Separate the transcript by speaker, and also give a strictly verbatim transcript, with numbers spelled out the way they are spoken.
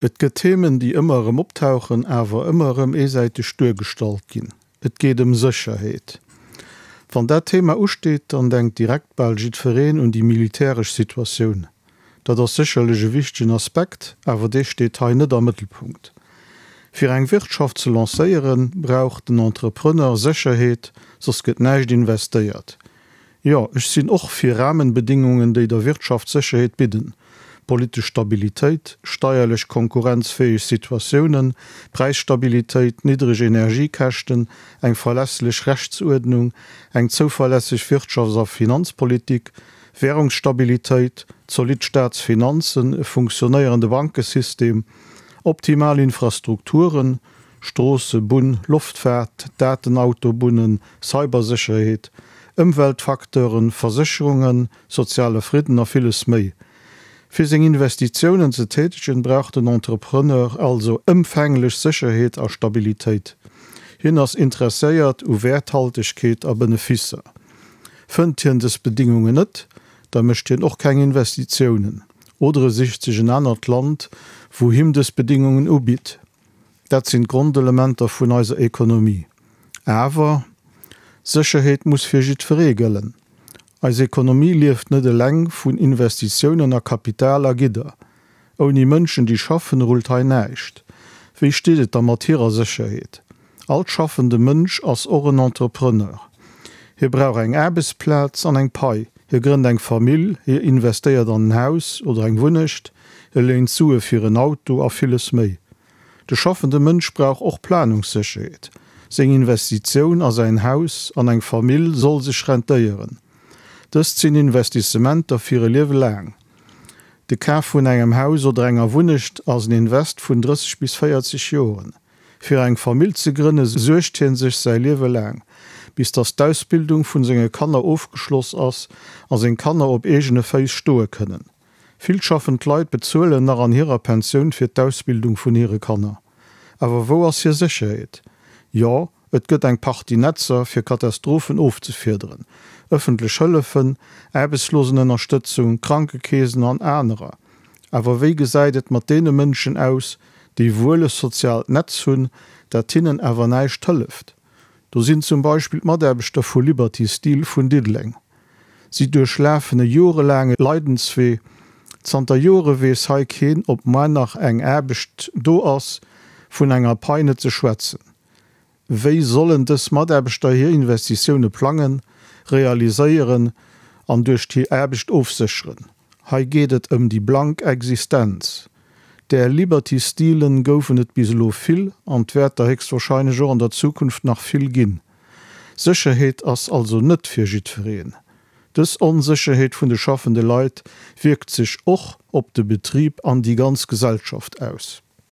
Speaker 1: Et gëtt Themen, déi ëmmer erëm optauchen, awer ëmmer erëm eesäiteg duergestallt ginn. Et geet ëm Sécherheet. Wann dat Thema usteet, dann denkt direkt bal jiddwereen un déi militäresch Situatioun. Dat ass sécherlech e wichtegen Aspekt, awer dee steet hei net am Mëttelpunkt. Fir eng Wirtschaft ze lancéieren, brauch den Entrepreneur Sécherheet, soss gëtt näischt investéiert. Jo, ech sinn och fir Rahmenbedingungen, déi der Wirtschaft Sécherheet bidden, politesch Stabilitéit, steierlech konkurrenzfäeg Situatiounen, Präisstabilitéit, niddreg Energiekäschten, eng verlässlech Rechtsuerdnung, eng zouverlässeg Wirtschafts a Finanzpolitik, Währungsstabilitéit, zolidd Staatsfinanzen, e funktionéierende Bankesystem, optimal Infrastrukturen, Stroosse, Bunn, Loftfaart, Datenautobunnen, Cybersécherheet, Ëmweltfacteuren, Versécherungen, soziale Fridden a villes méi. Fir seng Investitiounen ze tätegen, brauch den Entrepreneur also ëmfänglech Sécherheet a Stabilitéit. Hien ass interesséiert u Wäerthaltegkeet a Beneficer. Fënnt hien dës Bedingungen net, da mécht hien och keng Investitiounen oder e sicht sech en anert Land, wou him dës Bedingungen ubitt. Dat sinn d'Grondelementer vun eiser Ekonomie. Awer, Sécherheet muss fir jiddweree gëllen. Eis Ekonomie lieft net eleng vun Investitiounen a Kapital a Gidder. Ouni Mënschen, déi schaffen, rullt hei näischt. Wéi steet et da mat hirer Sécherheet? All schaffende Mënsch ass och en Entrepreneur. Hie brauch eng Aarbechtsplaz an eng Pai. Hie grënnt eng Famill, hie investéiert an en Haus oder eng Wunnecht, hie léint Sue fir en Auto a villes méi. De schaffende Mënsch brauch och Planungssécherheet. Seng Investitioun a säin Haus, an eng Famill soll sech rentéieren. Dëst sinn Investissementer fir e Liewe laang. De Kaf vun engem Haus oder enger Wunnecht ass en Invest vun drësseg bis véierzeg Joren. Fir eng Famill ze grënne suergt hie sech säi Liewe laang, bis datt d'Ausbildung vun senge Kanner ofgeschloss ass a seng Kanner op eegene Féiss stoe kënnen. Vill schaffend Leit bezuelen nach an hirer Pensioun fir d'Ausbildung vun hire Kanner. Awer wou ass hir Sécherheet? Jo, et gëtt eng Partie Netzer, fir Katastrophen ofzefiederen, ëffentlech Hëllefen, Aarbechtslosenënnerstëtzung, Krankekeesen an anerer. Awer wéi gesäit et mat deene Mënschen aus, déi wuel e soziaalt Netz hunn, dat hinnen awer näischt hëlleft? Do sinn zum Beispill d'Mataarbechter vu Liberty Steel vun Diddeleng. Si duerchlafen e jorelaange Leidenswee. Zanter Jore weess hei keen, ob muer nach eng Aarbecht do ass, vun enger Pai net ze schwätzen. Wéi sollen dës Mataarbechter hir Investitioune plangen, realiséieren an duerch hir Aarbecht ofsécheren? Hei geet et ëm déi blank Existenz. Där Liberty Steelen goufen et bis elo vill an et wäert der héchstwahrscheinlech och an der Zukunft nach vill ginn. Sécherheet ass also net fir jiddwereen. Dës Onsécherheet vun de schaffende Leit wierkt sech och op de Betrib an déi ganz Gesellschaft aus.